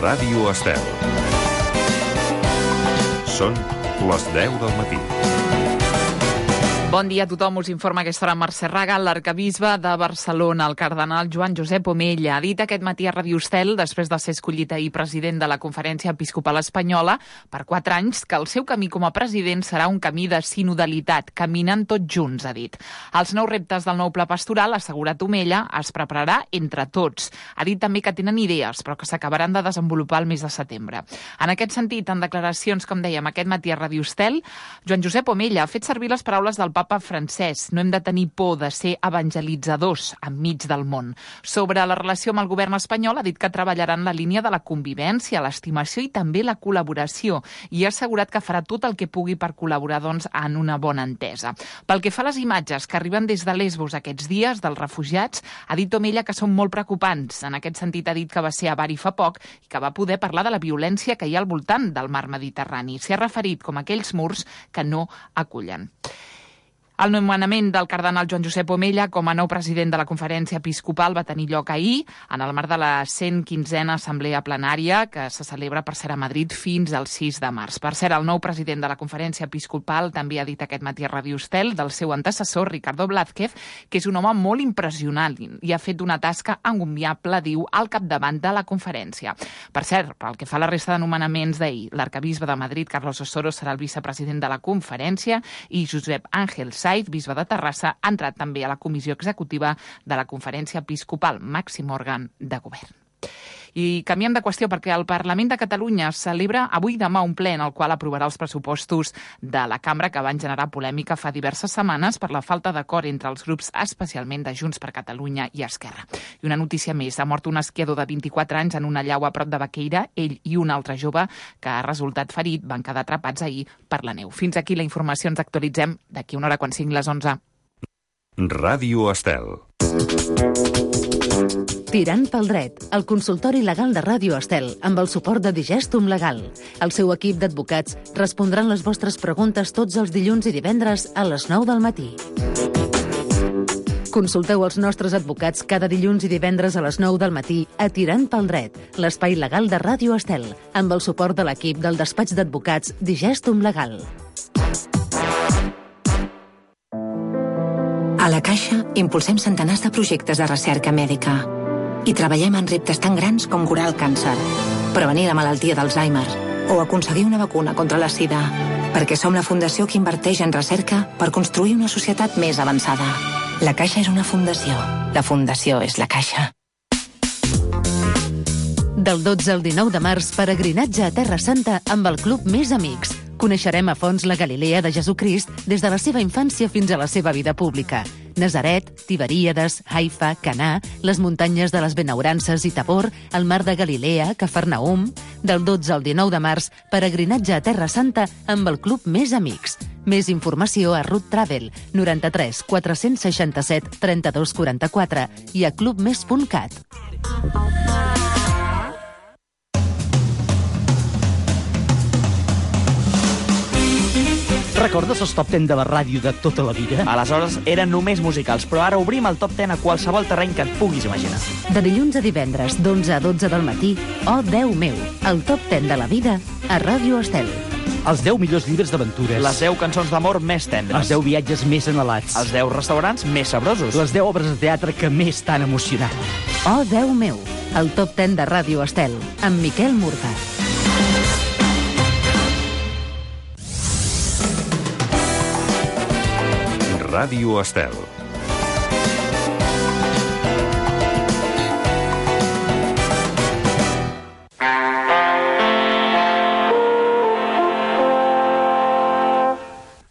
Ràdio Estel. Són les 10 del matí. Bon dia a tothom, us informa aquesta hora Mercè Raga. L'arquebisbe de Barcelona, el cardenal Joan Josep Omella, ha dit aquest matí a Ràdio Estel, després de ser escollit ahir president de la Conferència Episcopal Espanyola per 4 anys, que el seu camí com a president serà un camí de sinodalitat, caminant tots junts, ha dit. Els nous reptes del nou pla pastoral, ha assegurat Omella, es prepararà entre tots. Ha dit també que tenen idees, però que s'acabaran de desenvolupar el mes de setembre. En aquest sentit, en declaracions, com dèiem, aquest matí a Ràdio Estel, Joan Josep Omella ha fet servir les paraules del Papa Francesc. No hem de tenir por de ser evangelitzadors enmig del món. Sobre la relació amb el govern espanyol, ha dit que treballarà en la línia de la convivència, l'estimació i també la col·laboració, i ha assegurat que farà tot el que pugui per col·laborar en una bona entesa. Pel que fa a les imatges que arriben des de Lesbos aquests dies dels refugiats, ha dit Omella que són molt preocupants. En aquest sentit, ha dit que va ser a Bari fa poc i que va poder parlar de la violència que hi ha al voltant del mar Mediterrani. S'hi ha referit com a aquells murs que no acullen. El nomenament del cardenal Joan Josep Omella com a nou president de la Conferència Episcopal va tenir lloc ahir, en el marc de la 115a Assemblea Plenària, que se celebra, per cert, a Madrid fins al 6 de març. Per cert, el nou president de la Conferència Episcopal també ha dit aquest matí a Ràdio Estel del seu antecessor, Ricardo Blázquez, que és un home molt impressionant i ha fet una tasca encomiable, diu, al capdavant de la conferència. Per cert, pel que fa a la resta de nomenaments d'ahir, l'arquebisbe de Madrid, Carlos Osoro, serà el vicepresident de la conferència i Josep Ángel Saiz, bisbe de Terrassa, ha entrat també a la comissió executiva de la Conferència Episcopal, màxim òrgan de govern. I canviem de qüestió perquè el Parlament de Catalunya celebra avui i demà un ple en el qual aprovarà els pressupostos de la cambra que van generar polèmica fa diverses setmanes per la falta d'acord entre els grups, especialment de Junts per Catalunya i Esquerra. I una notícia més, ha mort un esquiador de 24 anys en una llau a prop de Baqueira. Ell i un altre jove que ha resultat ferit van quedar atrapats ahir per la neu. Fins aquí la informació, ens actualitzem d'aquí una hora quan siguin les 11. Ràdio Estel. Tirant pel dret, el consultori legal de Ràdio Estel, amb el suport de Digestum Legal. El seu equip d'advocats respondran les vostres preguntes tots els dilluns i divendres a les 9 del matí. Consulteu els nostres advocats cada dilluns i divendres a les 9 del matí a Tirant pel dret, l'espai legal de Ràdio Estel, amb el suport de l'equip del despatx d'advocats Digestum Legal. A la Caixa impulsem centenars de projectes de recerca mèdica i treballem en reptes tan grans com curar el càncer, prevenir la malaltia d'Alzheimer o aconseguir una vacuna contra la sida, perquè som la fundació que inverteix en recerca per construir una societat més avançada. La Caixa és una fundació. La fundació és la Caixa. Del 12 al 19 de març, peregrinatge a Terra Santa amb el Club Més Amics. Coneixerem a fons la Galilea de Jesucrist des de la seva infància fins a la seva vida pública. Nazaret, Tiberíades, Haifa, Canà, les muntanyes de les Benaurances i Tabor, el mar de Galilea, Cafarnaum. Del 12 al 19 de març, peregrinatge a Terra Santa amb el Club Més Amics. Més informació a Root Travel, 93 467 32 44 i a clubmes.cat. Recordes els top 10 de la ràdio de tota la vida? Aleshores eren només musicals, però ara obrim el top 10 a qualsevol terreny que et puguis imaginar. De dilluns a divendres, d'11 a 12 del matí, Oh Déu meu, el top 10 de la vida a Ràdio Estel. Els 10 millors llibres d'aventures. Les 10 cançons d'amor més tendres. Els 10 viatges més anhelats. Els 10 restaurants més sabrosos. Les 10 obres de teatre que més t'han emocionat. Oh Déu meu, el top 10 de Ràdio Estel, amb Miquel Murga. Ràdio Estel.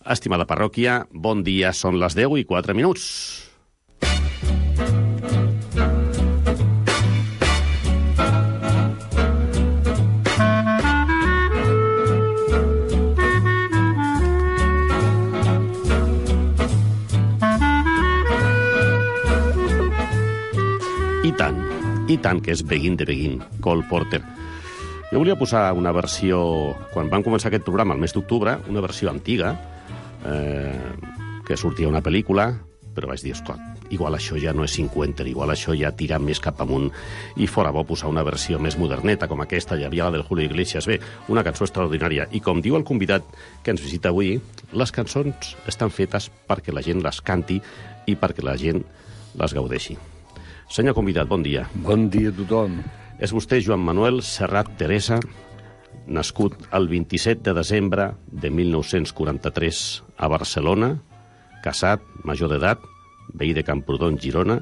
Estimada parròquia, bon dia, són les 10 i 4 minuts. I tant que és Begin de Begin, Cole Porter. Jo volia posar una versió, quan vam començar aquest programa, el mes d'octubre, una versió antiga, que sortia una pel·lícula, però vaig dir, escolta, igual això ja no és 50, igual això ja tira més cap amunt i fora bo posar una versió més moderneta com aquesta, hi havia la del Julio Iglesias. Bé, una cançó extraordinària. I com diu el convidat que ens visita avui, les cançons estan fetes perquè la gent les canti i perquè la gent les gaudeixi. Senyor convidat, bon dia. Bon dia a tothom. És vostè Joan Manuel Serrat Teresa, nascut el 27 de desembre de 1943 a Barcelona, casat, major d'edat, veí de Camprodon, Girona,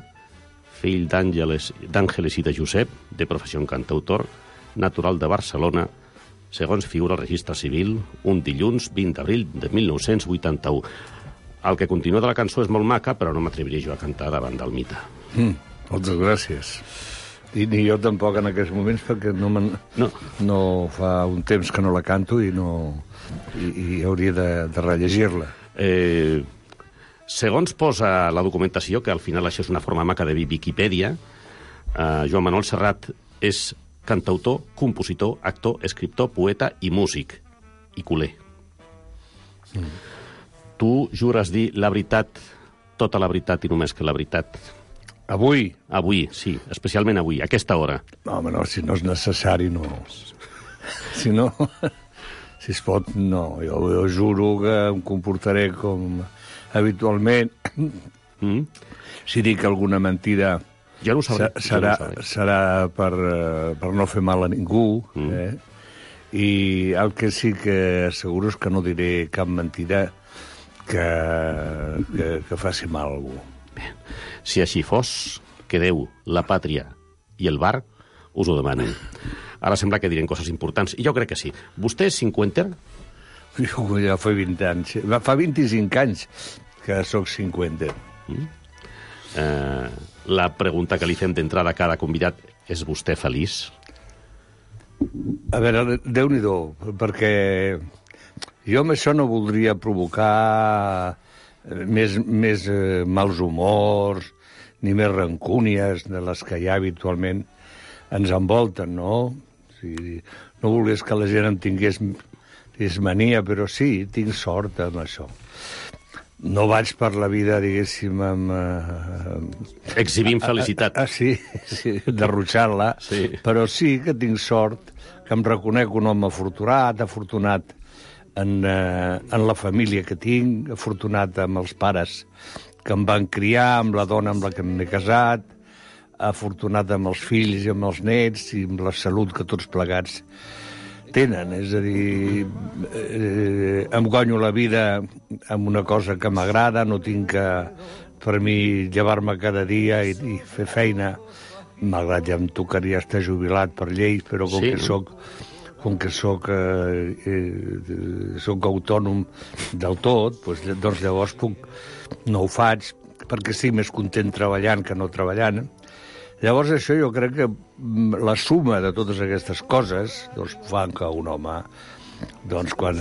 fill d'Àngeles i de Josep, de professió en cantautor, natural de Barcelona, segons figura el registre civil, un dilluns 20 d'abril de 1981. El que continua de la cançó és molt maca, però no m'atreviria jo a cantar davant del mite. Moltes gràcies. I ni jo tampoc en aquests moments, perquè no fa un temps que no la canto i hauria de rellegir-la. Segons posa la documentació, que al final això és una forma maca de Viquipèdia, Joan Manuel Serrat és cantautor, compositor, actor, escriptor, poeta i músic. I culer. Tu jures dir la veritat, tota la veritat i només que la veritat. Avui? Avui, sí, especialment avui, a aquesta hora. No, home, no, si no és necessari, no. Si no, si es pot, no. Jo juro que em comportaré com habitualment. Si dic alguna mentida, jo no ho sabré. Serà per no fer mal a ningú. I el que sí que asseguro és que no diré cap mentida que faci mal a algú. Bé. Si així fos, que Déu, la pàtria i el bar us ho demanen. Ara sembla que direm coses importants, i jo crec que sí. Vostè és 50? Jo ja fa 20 anys. Fa 25 anys que sóc 50. La pregunta que li fem d'entrada a cada convidat és: vostè feliç? A veure, Déu-n'hi-do, perquè jo amb això no voldria provocar més mals humors, ni més rancúnies de les que ja habitualment ens envolten, no? O sigui, no volies que la gent em tingués mania, però sí, tinc sort amb això. No vaig per la vida, diguéssim, exhibint felicitat. Sí, derrotxant-la, sí. Però sí que tinc sort, que em reconec un home afortunat en la família que tinc, afortunat amb els pares que em van criar, amb la dona amb la que m'he casat, afortunat amb els fills i amb els nets i amb la salut que tots plegats tenen. És a dir, em guanyo la vida amb una cosa que m'agrada, no tinc que, per mi, llevar-me cada dia i fer feina. Malgrat ja em tocaria estar jubilat per llei, però com que soc autònom del tot, doncs llavors no ho faig, perquè estic més content treballant que no treballant. Llavors això jo crec que la suma de totes aquestes coses doncs fan que un home, doncs quan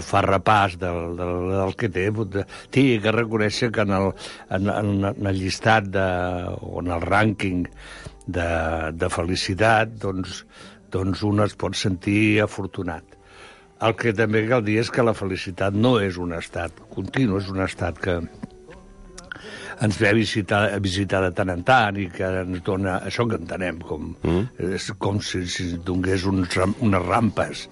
fa repàs del que té, tingui que reconèixer que en el llistat o en el rànquing de felicitat, doncs un es pot sentir afortunat. El que també cal dir és que la felicitat no és un estat continu, és un estat que ens ve a visitar de tant en tant i que ens dona això que entenem és com si donés unes rampes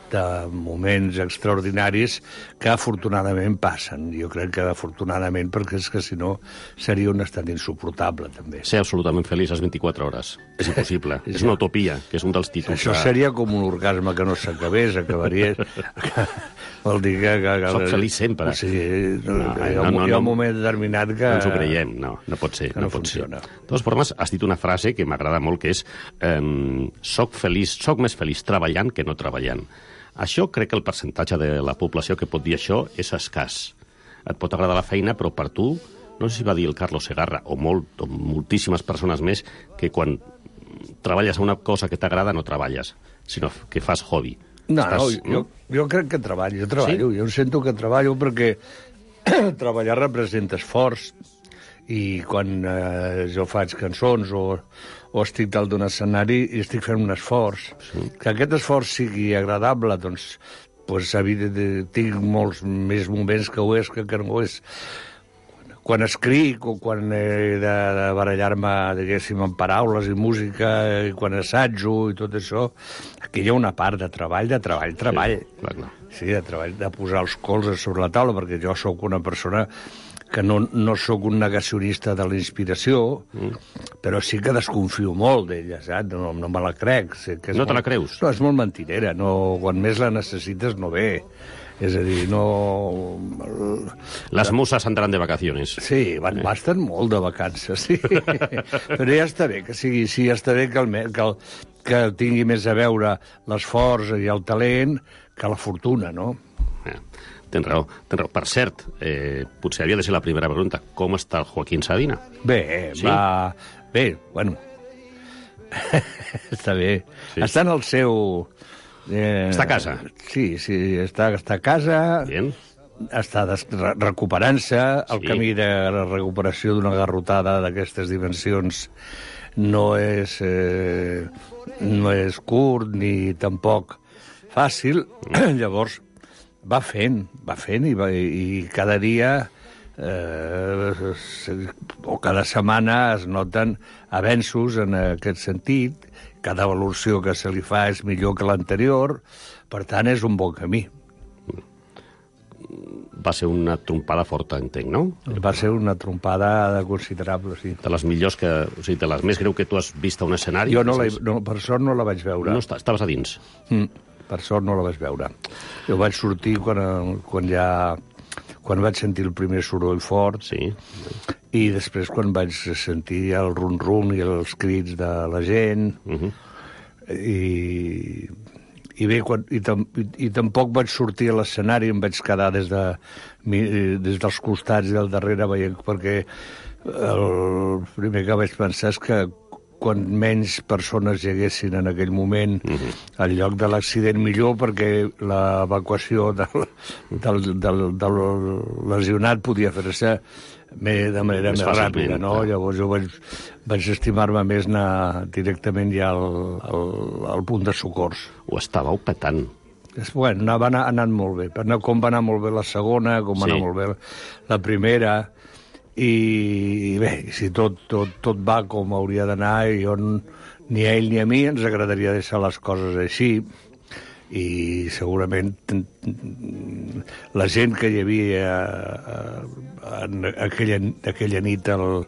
de moments extraordinaris que afortunadament passen. Jo crec que afortunadament, perquè és que si no seria un estat insuportable també. Ser absolutament feliç a les 24 hores. És impossible. És una utopia, que és un dels títols. Això seria com un orgasme que no s'acabés, acabaria... Vol dir que... Soc feliç sempre. O sigui, hi ha un moment determinat que... No ens ho creiem, no pot ser. Que no funciona. De totes formes, has dit una frase que m'agrada molt, que és soc més feliç treballant que no treballant. Això crec que el percentatge de la població que pot dir això és escàs. Et pot agradar la feina, però per tu, no sé si va dir el Carlos Segarra, o moltíssimes persones més, que quan treballes a una cosa que t'agrada no treballes, sinó que fas hobby. Jo crec que treballo. Jo treballo. Sí? Jo sento que treballo perquè treballar representa esforç, i quan jo faig cançons o estic dalt d'un escenari i estic fent un esforç. Que aquest esforç sigui agradable, doncs tinc molts més moments que ho és que no ho és. quan escric o quan he de barallar-me, diguéssim, en paraules i música, i quan assajo i tot això, aquí hi ha una part de treball. Sí, clar. Sí, de treball, de posar els colzes sobre la taula, perquè jo sóc una persona que no sóc un negacionista de la inspiració, però sí que desconfio molt d'ella, saps? No me la crec. Sé que No te la creus? No, és molt mentirera. No, quan més la necessites no ve. És a dir, no... Les muses entraran de vacaciones. Sí, estan molt de vacances, sí. Però ja està bé que sigui així, ja està bé que tingui més a veure l'esforç i el talent que la fortuna, no? Tens raó. Per cert, potser havia de ser la primera pregunta. Com està el Joaquín Sabina? Bé, Sí? Bé, bueno... Està bé. Sí. Està en el seu... Està a casa? Sí, està a casa... Bien. Està recuperant-se. El Sí. camí de la recuperació d'una garrotada d'aquestes dimensions no és curt ni tampoc fàcil. Llavors, va fent i cada dia o cada setmana es noten avenços en aquest sentit. Cada evolució que se li fa és millor que l'anterior, per tant, és un bon camí. Va ser una trompada forta, entenc, no? Va ser una trompada considerable, sí. De les millors o sigui, de les més greu que tu has vist a un escenari? Jo per sort no la vaig veure. No, estaves a dins. Per sort no la vaig veure. Jo vaig sortir quan vaig sentir el primer soroll fort, Sí. i després quan vaig sentir el rum-rum i els crits de la gent, i bé, i tampoc vaig sortir a l'escenari, em vaig quedar des dels costats i del darrere veient, perquè el primer que vaig pensar és que quan menys persones hi haguessin en aquell moment al lloc de l'accident millor, perquè l'evacuació del lesionat podia fer-se de manera més ràpida, no? Llavors jo vaig estimar-me més anar directament ja al punt de socors. Ho estàveu petant. Bueno, va anant molt bé. Com va anar molt bé la segona, com va anar molt bé la primera. I bé, si tot va com hauria d'anar, ni a ell ni a mi ens agradaria deixar les coses així, i segurament la gent que hi havia aquella nit al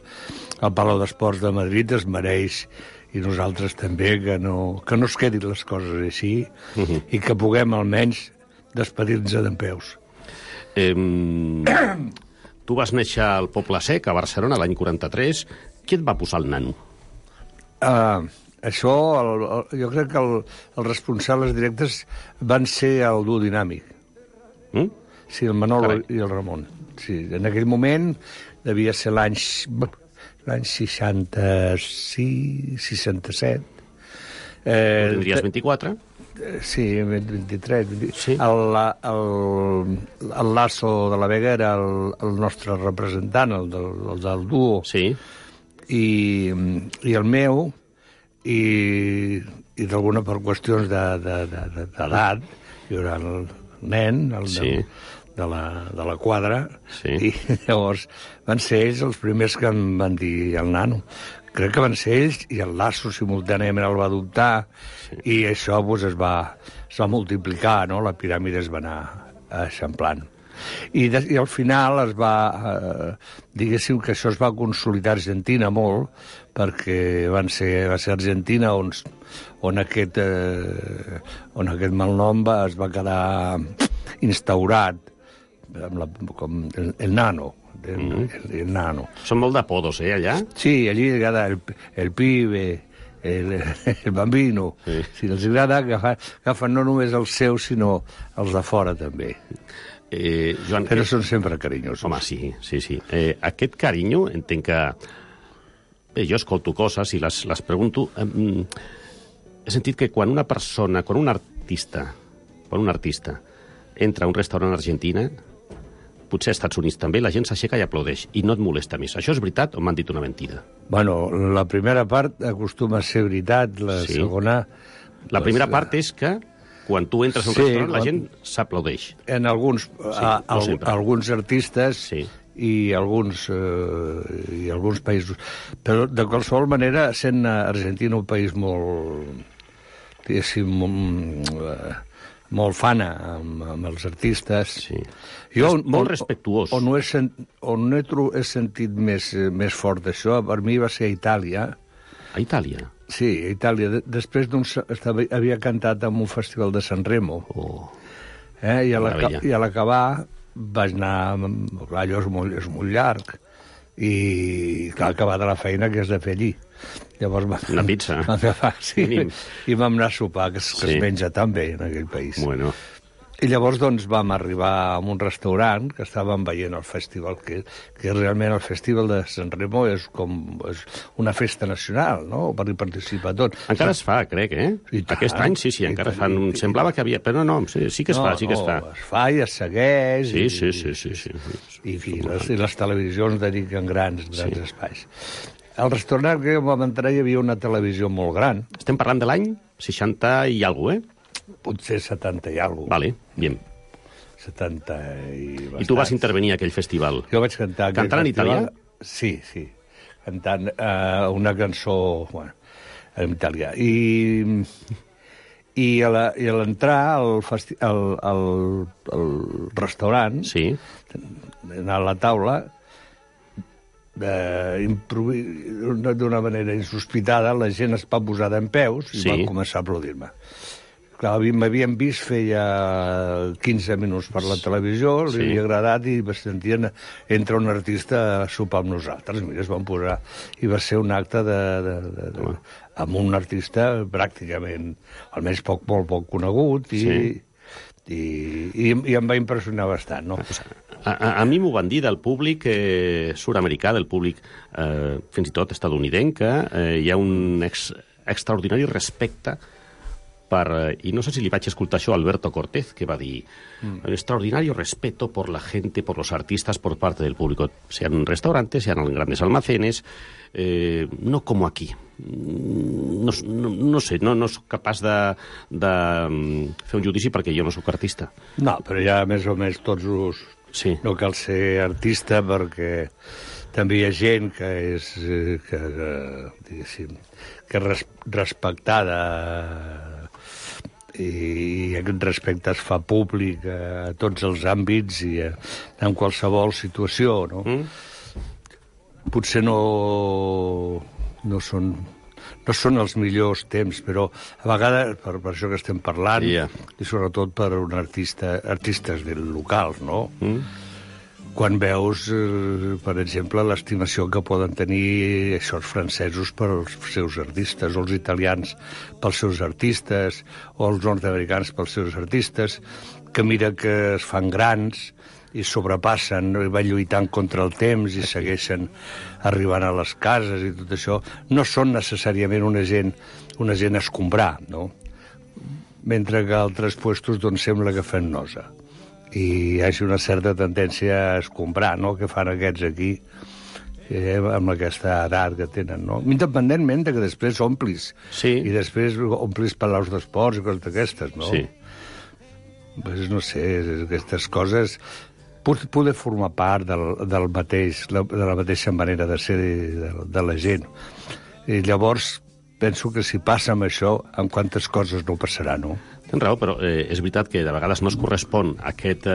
Palau d'Esports de Madrid es mereix, i nosaltres també, que no es quedin les coses així, i que puguem almenys despedir-nos dempeus. Tu vas néixer al Poble Sec, a Barcelona, l'any 43. Qui et va posar el nano? Això, jo crec que els responsables directes van ser el duo dinàmic. Sí, el Manolo i el Ramon. Sí, en aquell moment devia ser l'any 66, 67. Tindries 24? Sí, 23. Sí. El Lasso de la Vega era el nostre representant, el del duo. Sí. I el meu, i d'alguna per qüestions d'edat, jo era el nen, de la quadra, i llavors van ser ells els primers que em van dir el nano. Crec que van ser ells, i el Lasso simultàniament el va adoptar, i això es va multiplicar, no? La piràmide es va anar eixamplant. I al final es va... diguéssim que això es va consolidar a Argentina molt, perquè va ser Argentina on aquest malnom es va quedar instaurat, com el nano. El nano. Són molt d'apodos, allà? Sí, allí agrada el pibe, el bambino. Sí. Si els agrada, agafen no només els seus, sinó els de fora, també. Joan, però són sempre carinyosos. Home, sí. Aquest carinyo, entenc que... Bé, jo escolto coses i les pregunto. He sentit que quan un artista entra a un restaurant a Argentina, potser als Estats Units també, la gent s'aixeca i aplaudeix, i no et molesta més. Això és veritat o m'han dit una mentida? Bueno, la primera part acostuma a ser veritat, la segona... La primera part és que quan tu entres a un restaurant la gent s'aplaudeix. En alguns artistes i alguns països. Però, de qualsevol manera, sent Argentina un país molt, diguéssim, molt fana amb els artistes. Sí. Jo, molt respectuós. On he sentit més fort d'això, per mi va ser a Itàlia. A Itàlia? Sí, a Itàlia. Després havia cantat en un festival de Sanremo. I a l'acabar vaig anar... Allò és molt llarg. I cal acabar de la feina que has de fer allí. Llavors una pizza. Sí, i vam anar a sopar, que es menja tan bé en aquell país. Bueno. I llavors doncs, vam arribar a un restaurant que estàvem veient el festival, que realment el festival de Sanremo és una festa nacional, no?, per hi participar tot. Encara es fa, crec, Aquest any sí, encara fan... Semblava que havia... Però no, sí que es fa, sí que es fa. Es fa i es segueix. Sí. I les televisions dediquen grans espais. Al restaurant que vam entrar hi havia una televisió molt gran. Estem parlant de l'any 60 i alguna cosa, Potser 70 i alguna cosa. Vale, bien. 70 i bastants. I tu vas intervenir a aquell festival. Jo vaig cantar... Cantant en italià? Sí. Cantant una cançó en italià. I a l'entrar al restaurant, a la taula, d'una manera insospitada, la gent es va posar dempeus i van començar a aplaudir-me. Clar, m'havien vist feia 15 minuts per la televisió, li havia agradat i sentien entra un artista a sopar amb nosaltres. Mira, es van posar... I va ser un acte amb un artista pràcticament, almenys molt poc conegut, i em va impressionar bastant, no? A mi m'ho van dir del públic sud-americà, del públic fins i tot estadounidenc, que hi ha un extraordinari respecte y no sé si le vaig escoltar això a Alberto Cortés, que va dir un extraordinario respeto por la gente, por los artistas, por parte del público, sean en restaurantes, sean en grandes almacenes, no como aquí. No sé, no soc capaç de fer un judici perquè jo no sóc artista. No, però ja més o menys tots us... Sí. No cal ser artista perquè també hi ha gent que és respectada i aquest respecte es fa públic a tots els àmbits i en qualsevol situació, no? Potser no són els millors temps, però a vegades, per això que estem parlant, i sobretot per artistes locals, no? Quan veus, per exemple, l'estimació que poden tenir els francesos pels seus artistes, o els italians pels seus artistes, o els nord-americans pels seus artistes, que mira que es fan grans i sobrepassen, i van lluitant contra el temps i segueixen arribant a les cases i tot això, no són necessàriament una gent a escombrar, no? Mentre que altres puestos doncs sembla que fan nosa. I hi hagi una certa tendència a escombrar, no?, que fan aquests aquí, amb aquesta edat que tenen, no? Independentment de que després omplis. Sí. I després omplis palaus d'esports i coses d'aquestes, no? Sí. Pues no sé, aquestes coses poder formar part de la mateixa manera de ser de la gent. I llavors penso que si passa amb això, amb quantes coses no passarà, no? Tens raó, però és veritat que de vegades no es correspon aquest...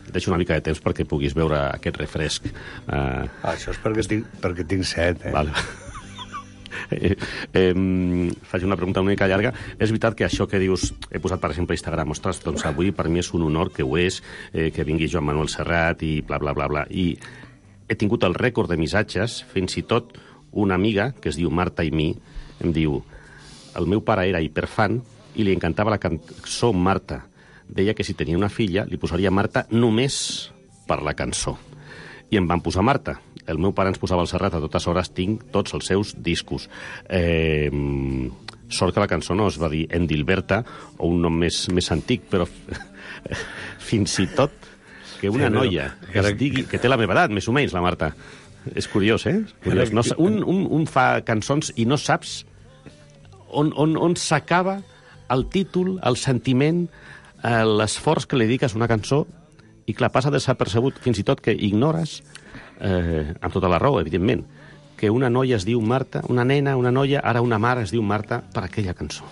Deixo una mica de temps perquè puguis veure aquest refresc. Això és perquè tinc set, Vale. Faig una pregunta una mica llarga. És veritat que això que dius, he posat per exemple a Instagram, ostres, doncs avui per mi és un honor que ho és, que vingui Joan Manuel Serrat i bla, bla, bla, bla. I he tingut el rècord de missatges, fins i tot una amiga, que es diu Marta i mi, em diu, el meu pare era hiperfan i li encantava la cançó Marta. Deia que si tenia una filla li posaria Marta només per la cançó. I em van posar Marta. El meu pare ens posava el Serrat a totes hores, tinc tots els seus discos. Sort que la cançó no es va dir Endilberta o un nom més antic, però fins i tot que una noia que es digui, que té la meva edat, més o menys, la Marta. És curiós, Curiós. No, un fa cançons i no saps on s'acaba el títol, el sentiment, l'esforç que li dediques a una cançó I clar, passa desapercebut fins i tot que ignores, amb tota la raó, evidentment, que una noia es diu Marta, una nena, una noia, ara una mare es diu Marta per aquella cançó.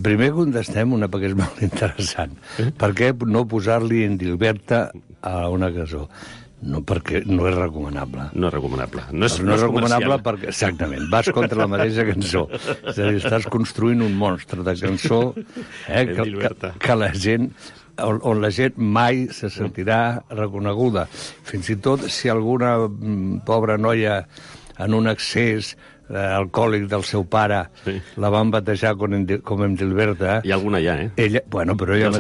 Primer contestem una perquè és molt interessant. Per què no posar-li en Dilberta a una cançó? No, perquè no és recomanable. No és recomanable. No és recomanable perquè, exactament, vas contra la mateixa cançó. És a dir, estàs construint un monstre de cançó que la gent, on la gent mai se sentirà reconeguda. Fins i tot si alguna pobra noia en un excés alcohòlic del seu pare la van batejar com en Dilberta. Hi ha alguna ja, però ella,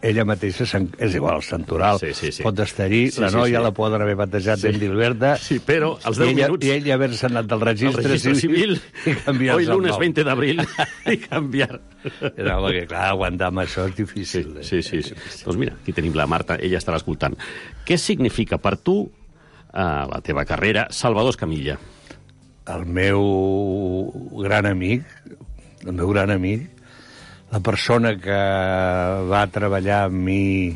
ella mateixa és igual, el Santoral. Pot estar allí, la noia la poden haver batejat en Dilberta. Sí, però als 10 minuts... I ella haver-se anat del registre civil i canviar-se el nom. Hoy lunes 20 d'abril i canviar. No, perquè clar, aguantar amb això és difícil. Sí. Doncs mira, aquí tenim la Marta, ella estarà escoltant. Què significa per tu, la teva carrera, Salvador Escamilla? El meu gran amic, la persona que va treballar amb mi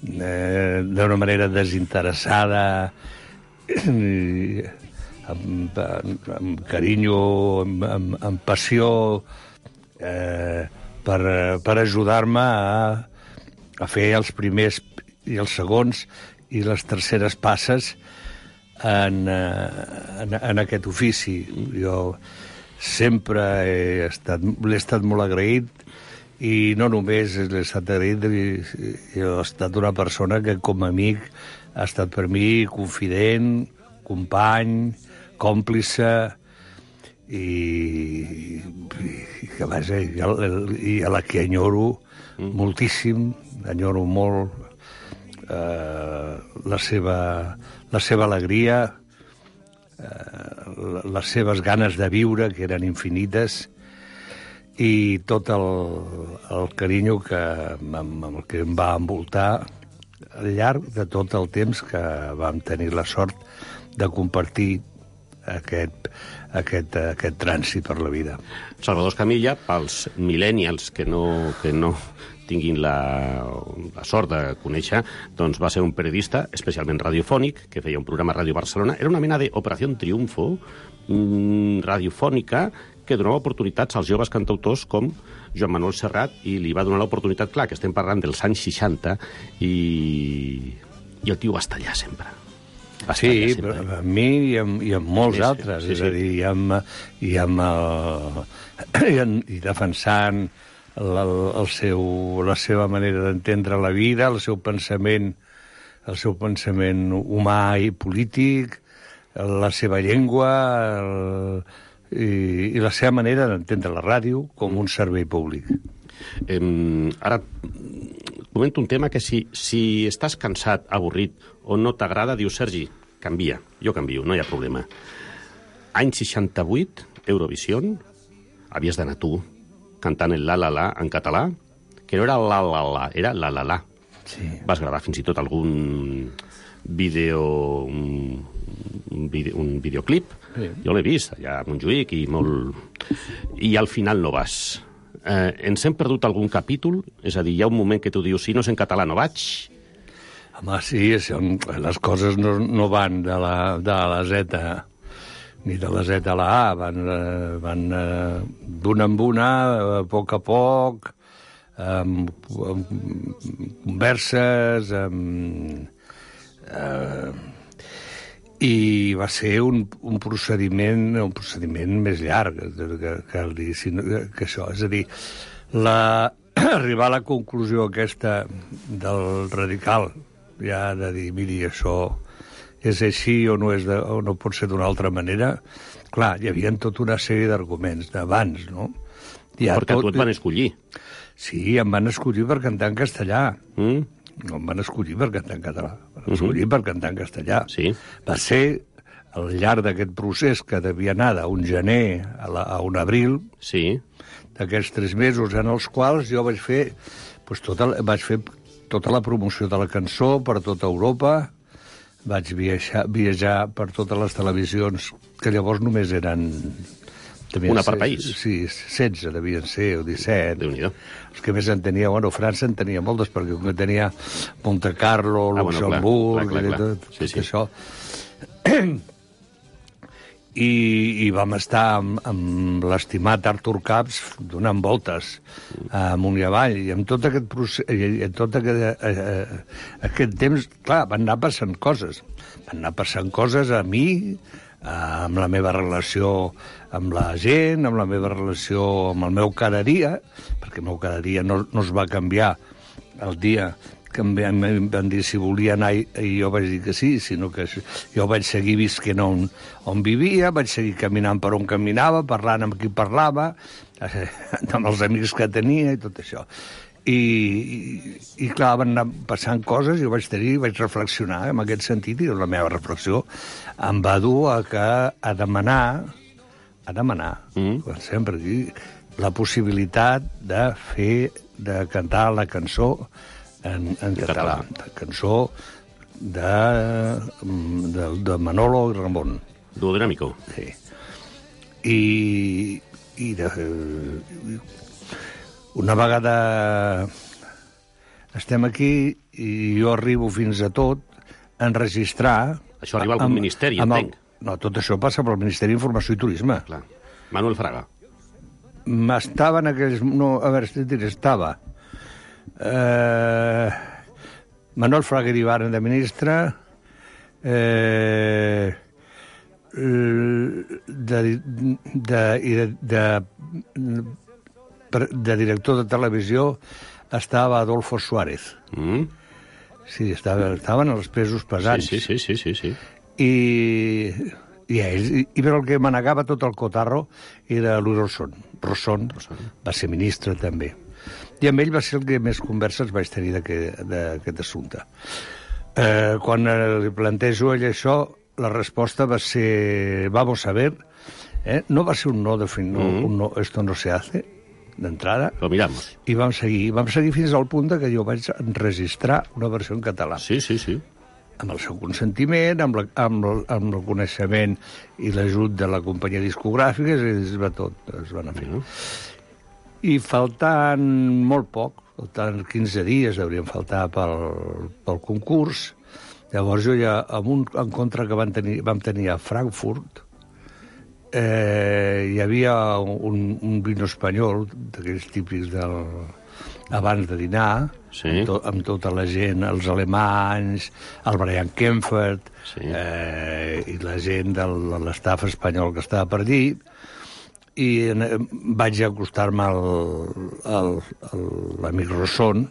d'una manera desinteressada, amb carinyo, amb passió, per ajudar-me a fer els primers i els segons i les terceres passes en aquest ofici. Jo sempre l'he estat molt agraït i no només l'he estat agraït, jo he estat una persona que com a amic ha estat per mi confident, company, còmplice i que vaja, i a la que enyoro moltíssim, enyoro molt la seva alegria, les seves ganes de viure, que eren infinites, i tot el carinyo amb el que em va envoltar al llarg de tot el temps que vam tenir la sort de compartir aquest trànsit per la vida. Salvador Escamilla, pels millennials que no tinguin la sort de conèixer, doncs va ser un periodista especialment radiofònic, que feia un programa a Ràdio Barcelona. Era una mena d'Operació Triunfo radiofònica que donava oportunitats als joves cantautors com Joan Manuel Serrat, i li va donar l'oportunitat, clar, que estem parlant dels anys 60, i el tio va estar allà sempre. Sí, a mi i amb molts altres, és a dir, i defensant la seva manera d'entendre la vida, el seu pensament humà i polític, la seva llengua i la seva manera d'entendre la ràdio com un servei públic. Ara comento un tema que si estàs cansat, avorrit o no t'agrada, dius, Sergi, canvia. Jo canvio, no hi ha problema. Any 68, Eurovision, havies d'anar tu cantant el la-la-la en català, que no era la-la-la, era la-la-la. Sí. Vas gravar fins i tot algun un videoclip. Sí. Jo l'he vist allà a Montjuïc i al final no vas. Ens hem perdut algun capítol? És a dir, hi ha un moment que tu dius, si no és en català no vaig? Home, sí, les coses no van de la Z ni de la Z a la A, van d'una en una, a poc, amb converses, i va ser un procediment més llarg que això. És a dir, arribar a la conclusió aquesta del radical, ja de dir, miri, això és així o no pot ser d'una altra manera. Clar, hi havia tota una sèrie d'arguments d'abans, no? Perquè tu et van escollir. Sí, em van escollir per cantar en castellà. No em van escollir per cantar en català. Em van escollir per cantar en castellà. Sí. Va ser al llarg d'aquest procés que devia anar d'un gener a un abril, sí, d'aquests 3 mesos en els quals jo vaig fer tota la promoció de la cançó per tota Europa. Vaig viatjar per totes les televisions, que llavors només eren Una per país. Sí, 16 devien ser, o 17. Déu-n'hi-do. Els que més en tenia, França en tenia moltes, perquè com que tenia Monte Carlo, Luxemburg, clar. tot això. I vam estar amb l'estimat Artur Caps donant voltes amunt i avall, i amb tot aquest procés, i en tot aquest temps, clar, van anar passant coses. Van anar passant coses a mi, amb la meva relació amb la gent, amb la meva relació amb el meu cada dia, perquè el meu cada dia no es va canviar el dia que em van dir si volia anar i jo vaig dir que sí, sinó que jo vaig seguir visquent on vivia, vaig seguir caminant per on caminava, parlant amb qui parlava, amb els amics que tenia i tot això. I clar, van anar passant coses i jo vaig reflexionar en aquest sentit, i la meva reflexió em va dur a demanar, sempre aquí, la possibilitat de cantar la cançó en català, la cançó de Manolo i Ramon. Duo dinámico. Sí. Una vegada estem aquí i jo arribo fins a tot a enregistrar... Això arriba a algun ministeri, entenc. No, tot això passa pel Ministeri d'Informació i Turisme. Clar. Manuel Fraga. Estava en aquells... No, a veure, estava... Manuel Fraga Iribarren de ministre, de director de televisió estava Adolfo Suárez. Sí, estaven els pesos pesants. Sí. Però el que manegava tot el cotarro era l'Urosson. Rosson va ser ministre també. I amb ell va ser el que més converses vaig tenir d'aquest assumpte. Quan li plantejo ell això, la resposta va ser vamos a ver. No va ser un no, un no, esto no se hace, d'entrada. Lo miramos. I vam seguir fins al punt que jo vaig enregistrar una versió en català. Sí. Amb el seu consentiment, amb el coneixement i l'ajut de la companyia discogràfica, es va anar fent. I faltant molt poc, faltant 15 dies haurien faltat pel concurs, llavors jo ja, amb un encontre que vam tenir a Frankfurt, hi havia un vino espanyol, d'aquells típics abans de dinar, amb tota la gent, els alemanys, el Brian Kempfert, i la gent de l'estaf espanyol que estava per allí, i vaig acostar-me a l'amic Rosson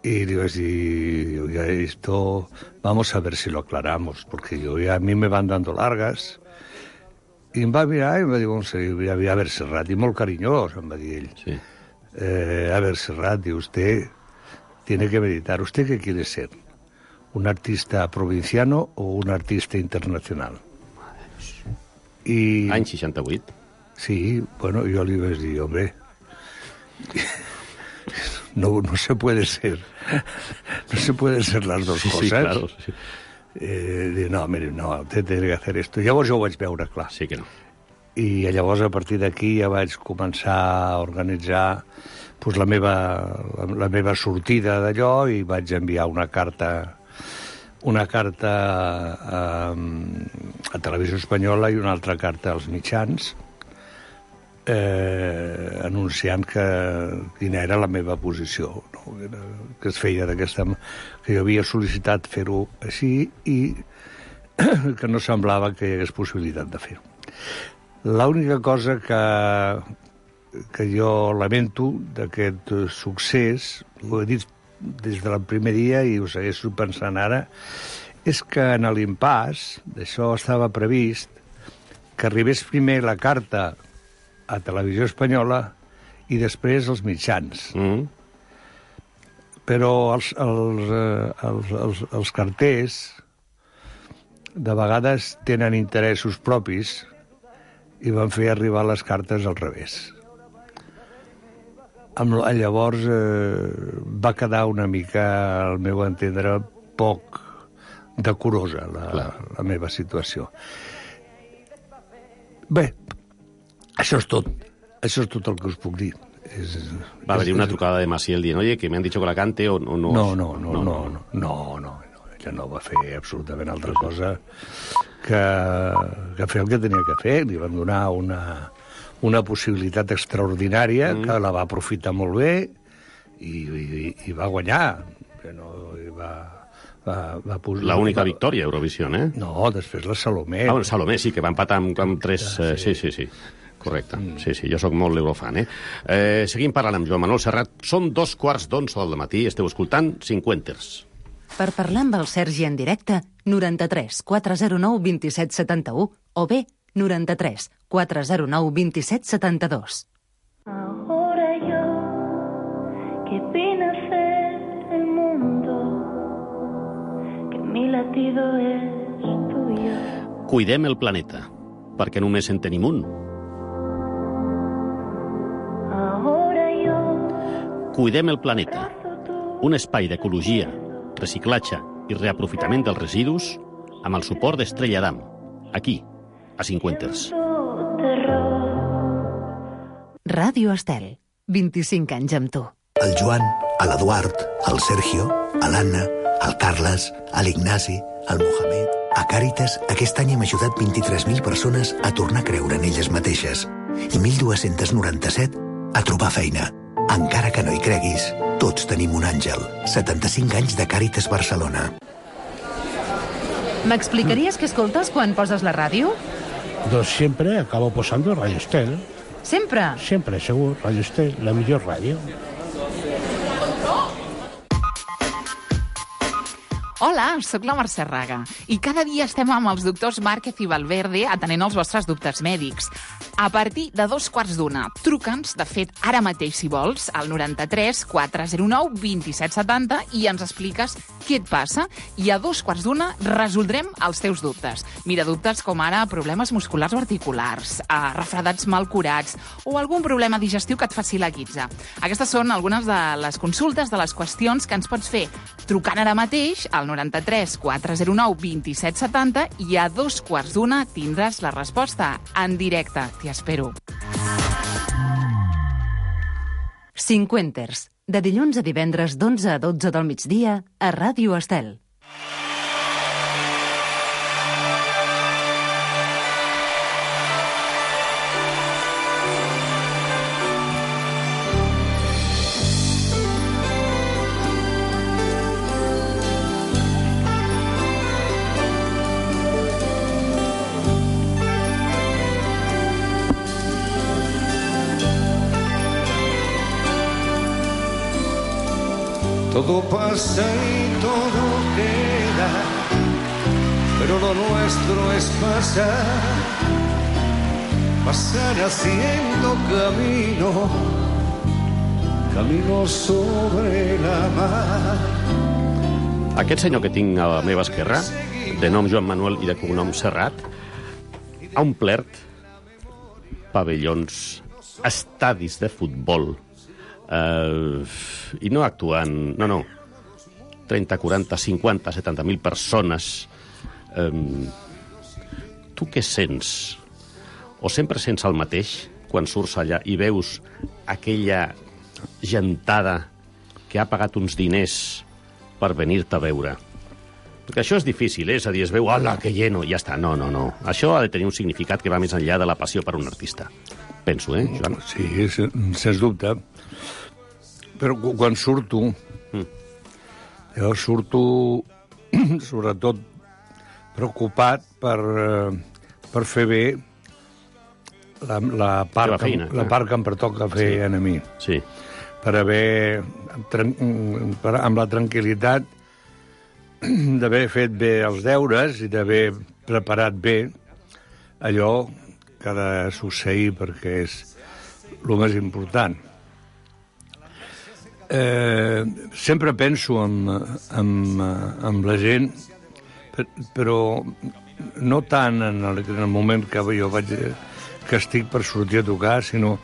y le iba a decir, oiga, esto vamos a ver si lo aclaramos, porque a mí me van dando largas. I em va mirar i em va dir, a ver, Serrat, i molt carinyós, em va dir ell. Sí. A ver, Serrat, y usted tiene que meditar. ¿Usted qué quiere ser? ¿Un artista provinciano o un artista internacional? I... Any 68. Sí, bueno, jo li vaig dir, hombre, no se puede ser las dos cosas. Sí, claro. Sí. No, mire, no, usted tiene que hacer esto. Llavors jo ho vaig veure clar. Sí que no. I llavors, a partir d'aquí, ja vaig començar a organitzar pues, la meva sortida d'allò i vaig enviar una carta a Televisió Espanyola i una altra carta als mitjans anunciant quina era la meva posició, no? Que es feia que jo havia sol·licitat fer-ho així i que no semblava que hi hagués possibilitat de fer-ho. L'única cosa que jo lamento d'aquest succés, ho he dit des del primer dia i ho segueixo pensant ara, és que en l'impàs d'això estava previst que arribés primer la carta a Televisió Espanyola i després als mitjans. Però els carters de vegades tenen interessos propis i van fer arribar les cartes al revés. Llavors va quedar una mica, al meu entendre, poc decorosa la meva situació. Bé, Això és tot el que us puc dir. Va haver-hi una trucada de Maciel dient, oye, que me han dicho que la cante o no... No. Ella no va fer absolutament altra cosa que fer el que tenia que fer. Li van donar una possibilitat extraordinària que la va aprofitar molt bé i va guanyar. Va posar... L'única victòria a Eurovision, eh? No, després la Salomé. Ah, Salomé, sí, que va empatar amb 3... Sí. Correcte. Sí, jo sóc molt l'eurofan, eh? Seguim parlant amb Joan Manuel Serrat. Són 2:15 del matí, esteu escoltant Cinquenters. Per parlar amb el Sergi en directe, 93 409 27 71 o bé 93 409 27 72. Ahora yo, que vine a ser el mundo, que mi latido es tuyo. Cuidem el planeta, perquè només en tenim un. Ahora yo, Cuidem el planeta, un espai d'ecologia, reciclatge i reaprofitament dels residus amb el suport d'Estrella Damm, aquí, a Cinquenters. Ràdio Estel, 25 anys amb tu. El Joan, l'Eduard, el Sergio, l'Anna, el Carles, l'Ignasi, el Mohamed... A Càritas, aquest any hem ajudat 23.000 persones a tornar a creure en elles mateixes i 1.297 a trobar feina. Encara que no hi creguis, tots tenim un àngel. 75 anys de Càritas Barcelona. M'explicaries què escoltes quan poses la ràdio? Doncs siempre acabo posando Radio Estel. Sempre? Siempre, segur. Radio Estel, la millor ràdio. Hola, sóc la Mercè Raga i cada dia estem amb els doctors Márquez i Valverde atenent els vostres dubtes mèdics. A partir de 2:15, truca'ns, de fet, ara mateix, si vols, al 93 409 27 70 i ens expliques què et passa i a 2:15 resoldrem els teus dubtes. Mira, dubtes com ara problemes musculars o articulars, refredats mal curats o algun problema digestiu que et faci la guitza. Aquestes són algunes de les consultes, de les qüestions que ens pots fer trucant ara mateix al 93 409 27 70 i a 2:15 tindràs la resposta en directe. T'hi espero. Cinquenters, de dilluns a divendres d'11 a 12 del migdia a Ràdio Estel. Todo pasa y todo queda, pero lo nuestro es pasar haciendo camino sobre la mar. Aquest senyor que tinc a la meva esquerra, de nom Joan Manuel i de cognom Serrat, ha omplert pavellons, estadis de futbol, i no actuant... No. 30, 40, 50, 70.000 persones. Tu què sents? O sempre sents el mateix quan surts allà i veus aquella gentada que ha pagat uns diners per venir-te a veure? Perquè això és difícil, és a dir, es veu, hola, que lleno, i ja està. No. Això ha de tenir un significat que va més enllà de la passió per un artista. Penso, Joan? Sí, sens dubte. Però quan surto, jo surto sobretot preocupat per fer bé la part que em pertoca fer a mi. Sí. Per haver, amb la tranquil·litat d'haver fet bé els deures i d'haver preparat bé allò que ha de succeir, perquè és el més important. Sempre penso en la gent, però no tant en el moment que jo que estic per sortir a tocar, sinó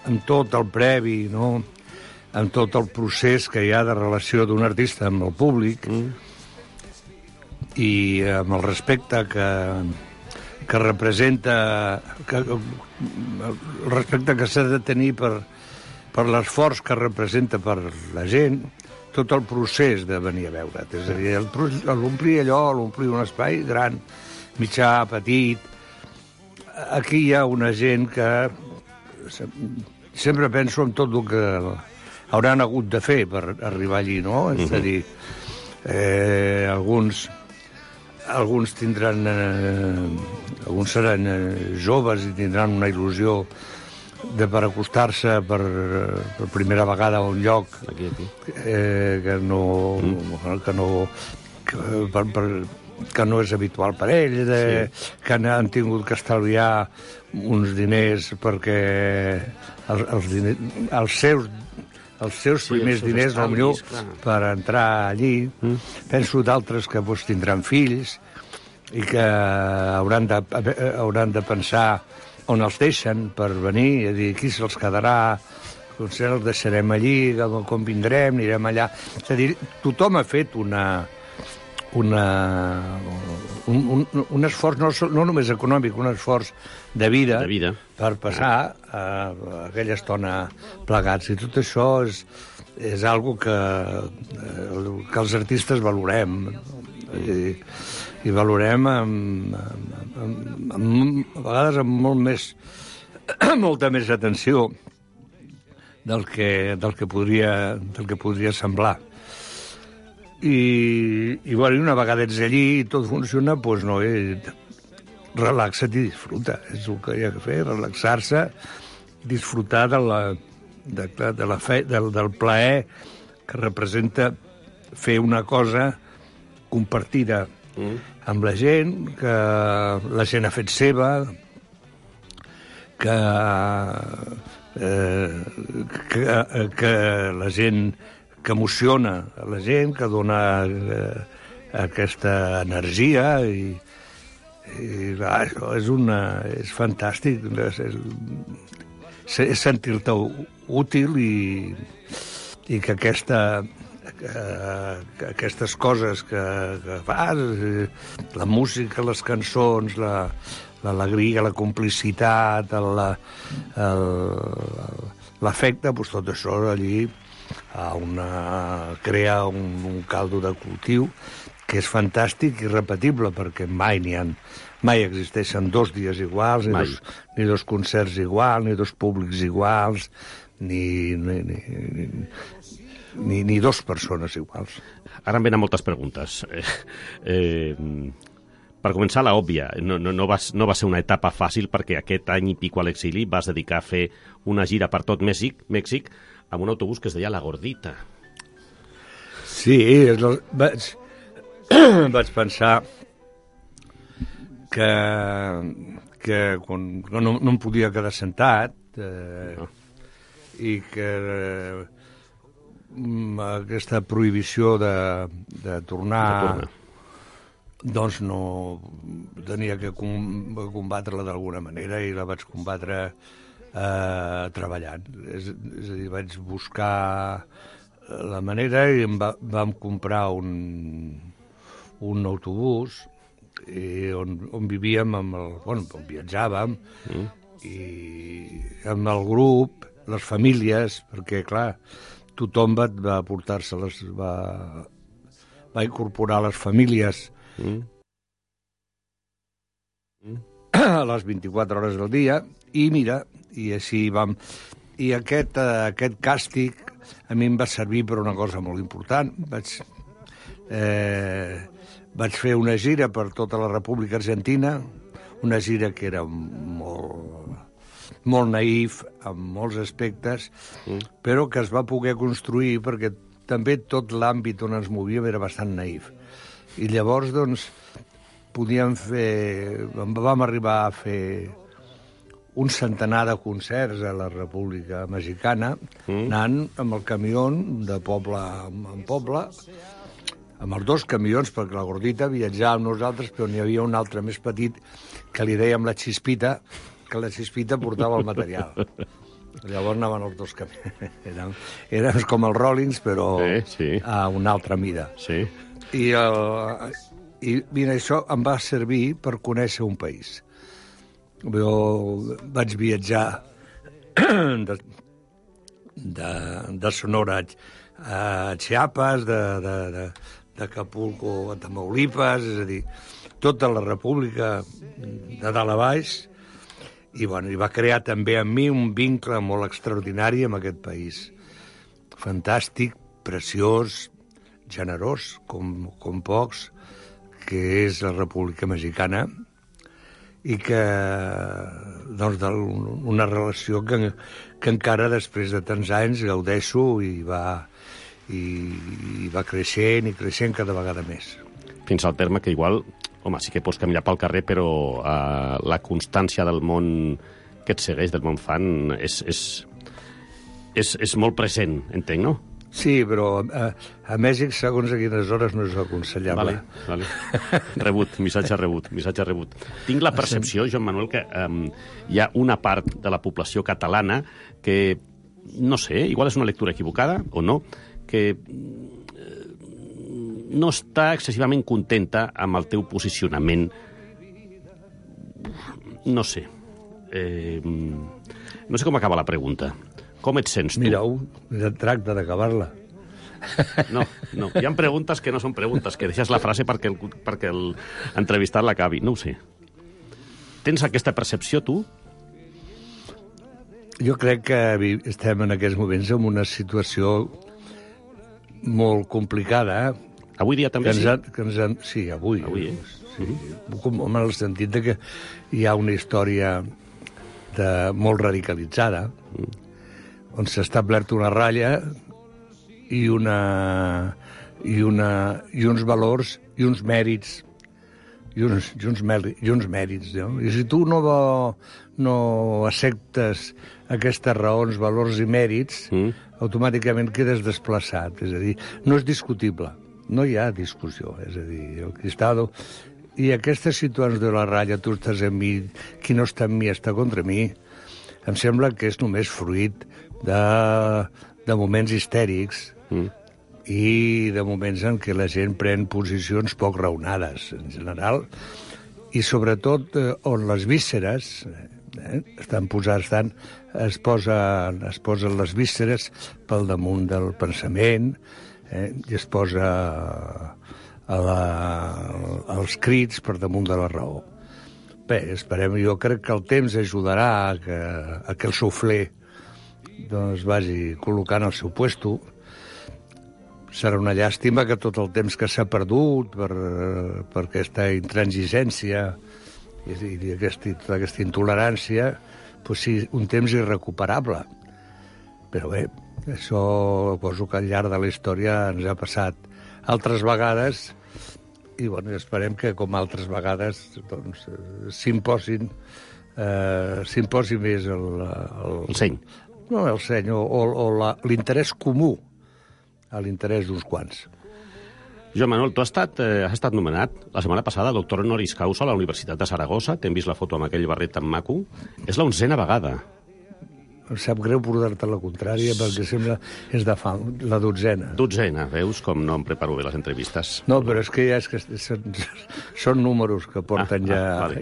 en tot el previ, no? En tot el procés que hi ha de relació d'un artista amb el públic i amb el respecte que representa el respecte que s'ha de tenir per l'esforç que representa per la gent tot el procés de venir a veure't. És a dir, l'omplir allò, l'omplir un espai gran, mitjà, petit. Aquí hi ha una gent que sempre penso en tot el que hauran hagut de fer per arribar allí, no? És a dir, alguns tindran... alguns seran joves i tindran una il·lusió per acostar-se per primera vegada a un lloc que no és habitual per ell, que han tingut que estalviar uns diners perquè els seus primers diners, potser, per entrar allí. Penso d'altres que tindran fills i que hauran de pensar on els deixen per venir, és a dir, qui se'ls quedarà, potser els deixarem allí, com vindrem, anirem allà. És a dir, tothom ha fet un esforç, no només econòmic, un esforç de vida per passar aquella estona plegats. I tot això és algo que els artistes valorem. I valorem a vegades amb molta més atenció del que podria semblar. I una vegada ets allí i tot funciona, doncs no, relaxa't i disfruta. És el que hi ha que fer, relaxar-se, disfrutar del plaer que representa fer una cosa compartida amb la gent, que la gent ha fet seva, que la gent que emociona a la gent, que dona aquesta energia i és fantàstic, és sentir-te útil i que aquestes coses que fas, la música, les cançons, l'alegria, la complicitat, l'afecte, doncs tot això allí crea un caldo de cultiu que és fantàstic i irrepetible, perquè mai existeixen 2 dies iguals, ni 2 concerts iguals, ni 2 públics iguals, ni 2 persones iguals. Ara em venen moltes preguntes. Per començar, l'òbvia. No va ser una etapa fàcil, perquè aquest any i pico a l'exili vas dedicar a fer una gira per tot Mèxic amb un autobús que es deia La Gordita. Sí, vaig pensar que no em podia quedar sentat i que aquesta prohibició de tornar doncs no tenia que combatre-la d'alguna manera, i la vaig combatre treballant. És a dir, vaig buscar la manera i vam comprar un autobús on vivíem, on viatjàvem, i amb el grup, les famílies, perquè, clar, tothom va portar-se-les, va incorporar les famílies a les 24 hores del dia, i mira, i així vam... I aquest càstig a mi em va servir per una cosa molt important. Vaig fer una gira per tota la República Argentina, una gira que era molt naïf, amb molts aspectes, però que es va poder construir perquè també tot l'àmbit on ens movíem era bastant naïf. I llavors, doncs, vam arribar a fer un centenar de concerts a la República Mexicana, anant amb el camió de poble en poble, amb els 2 camions, perquè la Gordita viatjava amb nosaltres, però n'hi havia un altre més petit que li dèiem la Xispita, que la Xispita portava el material. Llavors anaven els 2 camions. Érem com els Rollins, però a una altra mida. I mira, això em va servir per conèixer un país. Jo vaig viatjar de Sonora a Chiapas, d'Acapulco a Tamaulipas, és a dir, tota la república de dalt a baix, i va crear també en mi un vincle molt extraordinari amb aquest país. Fantàstic, preciós, generós, com pocs, que és la República Mexicana, i que, doncs, una relació que encara després de tants anys gaudeixo i va creixent i creixent cada vegada més. Fins al terme que igual, home, sí que pots caminar pel carrer, però la constància del món que et segueix, del món fan, és molt present, entenc, no? Sí, però a Mèxic, segons a quines hores, no és aconsellable. Vale. Rebut, missatge rebut. Tinc la percepció, Joan Manuel, que hi ha una part de la població catalana que, no sé, igual és una lectura equivocada o no, que no està excessivament contenta amb el teu posicionament. No sé. No sé com acaba la pregunta. Com et sents tu? Mira, tracta d'acabar-la. No, hi ha preguntes que no són preguntes, que deixes la frase perquè l'entrevistat l'acabi. No ho sé. Tens aquesta percepció, tu? Jo crec que estem en aquests moments en una situació molt complicada. Avui dia també sí? Sí, avui. Sí. En el sentit de que hi ha una història molt radicalitzada, on s'ha establert una ratlla i uns valors i uns mèrits i uns mèrits, no? I si tu no acceptes aquestes raons, valors i mèrits, automàticament quedes desplaçat. És a dir, no és discutible, no hi ha discussió. És a dir, el Cristado... I aquesta situació de la ratlla, tu estàs amb mi, qui no està amb mi està contra mi, em sembla que és només fruit de moments histèrics i de moments en què la gent pren posicions poc raonades, en general, i sobretot on les vísceres es posen les vísceres pel damunt del pensament, i es posa els crits per damunt de la raó. Bé, jo crec que el temps ajudarà a que el soufflé doncs vagi col·locant al seu puesto. Serà una llàstima que tot el temps que s'ha perdut per aquesta intransigència i tota aquesta intolerància doncs sí, un temps irrecuperable. Però bé, això poso que al llarg de la història ens ha passat altres vegades i esperem que com altres vegades doncs, s'imposi més el seny. No, el seny, o l'interès comú a l'interès d'uns quants. Joan Manuel, tu has estat nomenat la setmana passada doctor honoris causa a la Universitat de Saragossa. T'hem vist la foto amb aquell barret tan maco. És la 11ª vegada. Em sap greu portar-te la contrària perquè sembla és de fa la 12ª. 12ª, veus com no em preparo bé les entrevistes? No, però és que són números que porten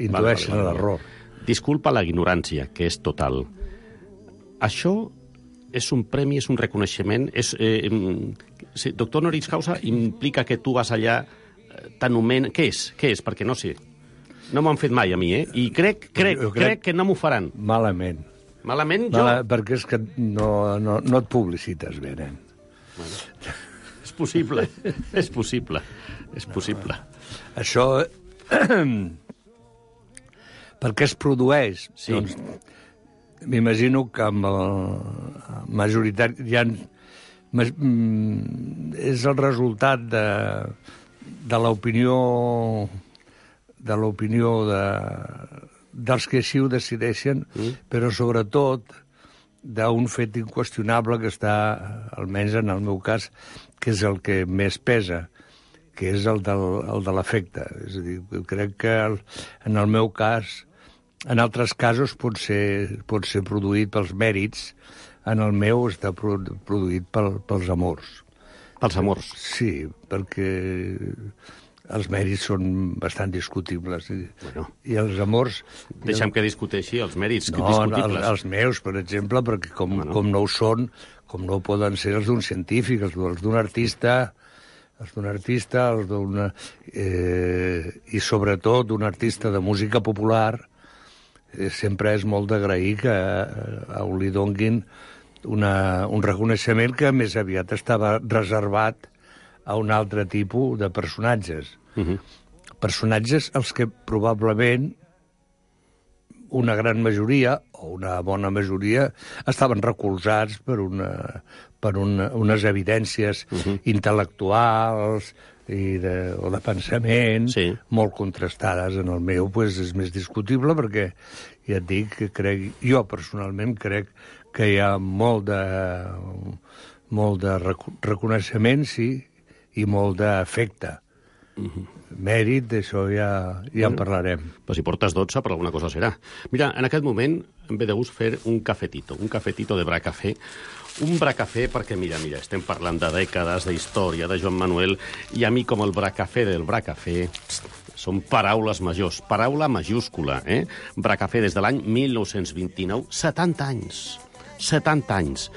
intueixen l'error. Disculpa la ignorància, que és total. Això és un premi, és un reconeixement? Doctor honoris causa implica que tu vas allà, t'anomenen... Què és? Perquè no sé. No m'ho han fet mai a mi, I crec que no m'ho faran. Malament. Malament jo? Perquè és que no et publicites bé, nen. Bueno, és possible. És possible. Això... perquè es produeix. Sí. Doncs, m'imagino que amb el majoritari és el resultat de l'opinió dels que així ho decideixen, però sobretot d'un fet inqüestionable que està, almenys en el meu cas, que és el que més pesa, que és el de l'afecte. És a dir, crec que en el meu cas, en altres casos pot ser produït pels mèrits, en el meu està produït pels amors. Pels amors? Sí, perquè els mèrits són bastant discutibles. Bueno. I els amors... Deixa'm que discuteixi els mèrits discutibles. discutibles. Els meus, per exemple, perquè com no ho són, com no ho poden ser els d'un científic, els d'un artista, i sobretot d'un artista de música popular, sempre és molt d'agrair que a un li donguin un reconeixement que més aviat estava reservat a un altre tipus de personatges. Personatges als que probablement una gran majoria, o una bona majoria, estaven recolzats per unes evidències intel·lectuals o de pensament molt contrastades. En el meu és més discutible perquè, ja et dic, jo personalment crec que hi ha molt de reconeixement, sí, i molt d'afecte. Mèrit, d'això ja en parlarem. Però si portes 12, per alguna cosa serà. Mira, en aquest moment em ve de gust fer un cafetito de Bracafé. Un Bracafé perquè, mira, estem parlant de dècades, d'història, de Joan Manuel, i a mi com el Bracafé del Bracafé són paraules majors, paraula majúscula, Bracafé des de l'any 1929, 70 anys. 70 anys.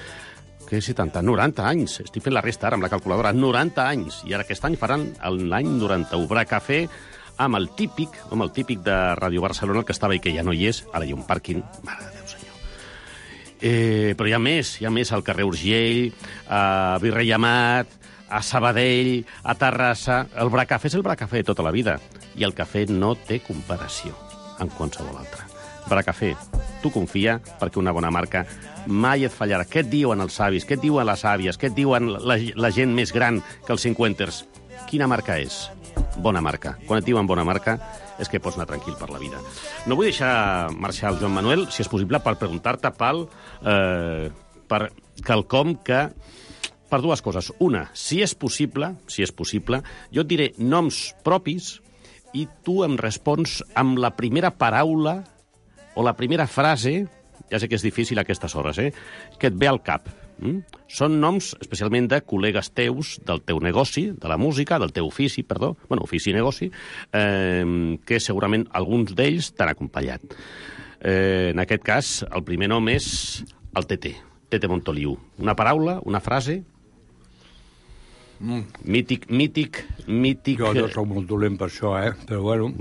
Què 70? 90 anys. Estic fent la resta ara amb la calculadora. 90 anys. I ara aquest any faran l'any 91. Bracafé amb el típic de Ràdio Barcelona, el que estava i que ja no hi és. Ara hi ha un pàrquing. Mare de Déu, senyor. Però hi ha més al carrer Urgell, a Virrei Amat, a Sabadell, a Terrassa. El Bracafé és el Bracafé de tota la vida. I el cafè no té comparació amb qualsevol altre. Bracafé, tu confia, perquè una bona marca mai et fallarà. Què et diuen els savis? Què et diuen les àvies? Què et diuen la gent més gran que els 50ers? Quina marca és? Bona marca. Quan et diuen bona marca és que pots anar tranquil per la vida. No vull deixar marxar el Joan Manuel, si és possible, per preguntar-te, Pal, per quelcom que... Per dues coses. Una, si és possible, jo et diré noms propis i tu em respons amb la primera paraula o la primera frase, ja sé que és difícil a aquestes hores, que et ve al cap. Són noms, especialment de col·legues teus, del teu negoci, de la música, del teu ofici, ofici i negoci, que segurament alguns d'ells t'han acompanyat. En aquest cas, el primer nom és el Tete Montoliu. Una paraula, una frase... Mític... Jo soc molt dolent per això, però bueno...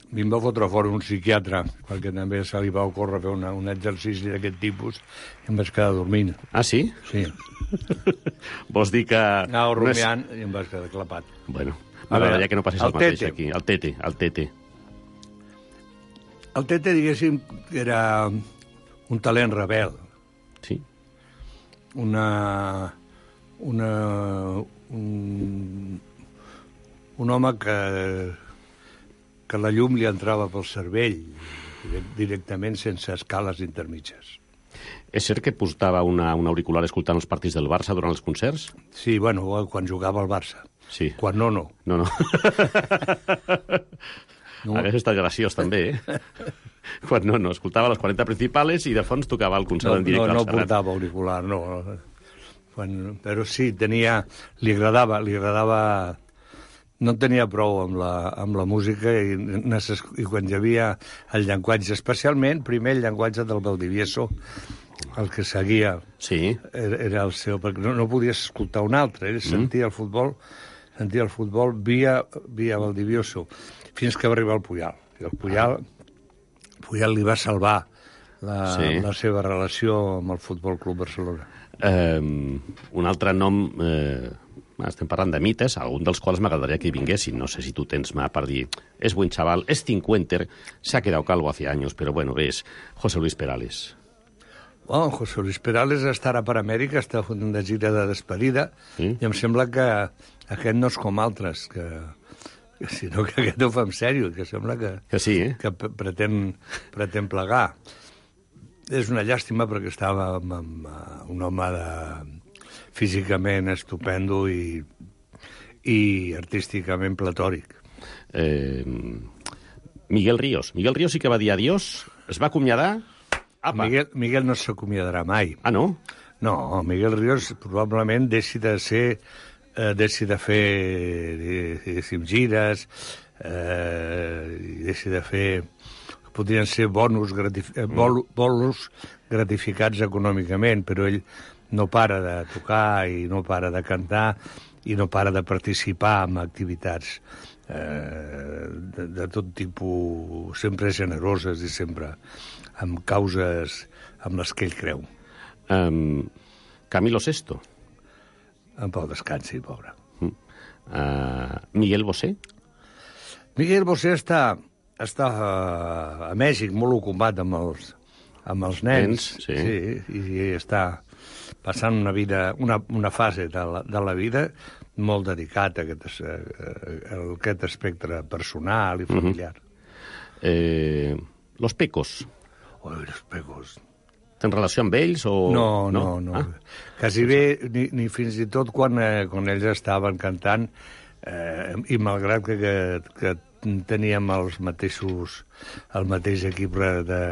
Mi em va fotre fora un psiquiatre, perquè també se li va ocórrer fer un exercici d'aquest tipus i em vaig quedar dormint. Ah, sí? Sí. Vols dir que... Anava rumiant i em vaig quedar clapat. Bueno, m'agradaria que no passés el mateix aquí. El Tete. El Tete, diguéssim, era un talent rebel. Sí. Un home que la llum li entrava pel cervell directament sense escales intermitges. És cert que portava un auricular escoltant els partits del Barça durant els concerts? Sí, bueno, quan jugava al Barça. Sí. Quan no. No. Hauria estat graciós, també, Quan no. Escoltava les 40 principals i de fons tocava el concert en directe al Serrat. No portava auricular, no. Però sí, li agradava... No en tenia prou amb la música i quan hi havia el llenguatge, especialment, primer el llenguatge del Valdivieso, el que seguia era el seu, perquè no podies escoltar un altre, ell sentia el futbol via Valdivieso, fins que va arribar al Puyal. I el Puyal li va salvar la seva relació amb el Futbol Club Barcelona. Un altre nom... Estem parlant de mites, algun dels quals m'agradaria que hi vinguessin. No sé si tu tens mà per dir, és buen chaval, és cincuenter, se ha quedado calvo hace años, però bueno, és José Luis Perales. Bueno, José Luis Perales estarà per Amèrica, està fent una gira de despedida, i em sembla que aquest no és com altres, sinó que aquest ho fa en sèrio, que sembla que que pretén plegar. És una llàstima perquè estava amb un home físicament estupendo i artísticament platòric. Miguel Ríos sí que va dir adiós, es va acomiadar... Miguel no s'acomiadarà mai. Ah, no? No, Miguel Ríos probablement deixi de ser deixi de fer, diguéssim, gires, i deixi de fer... Podrien ser bolos gratificats econòmicament, però ell no para de tocar i no para de cantar i no para de participar en activitats de tot tipus, sempre generoses i sempre amb causes amb les que ell creu. Camilo Sesto. En pau descansi, pobre. Miguel Bosé? Miguel Bosé està a Mèxic molt ocupat amb els nens, sí, i està passant una fase de la vida molt dedicat a aquest espectre personal i familiar. Los Pecos. Los Pecos. Tens relació amb ells? No. Quasi bé, ni fins i tot quan ells estaven cantant, i malgrat que teníem el mateix equip de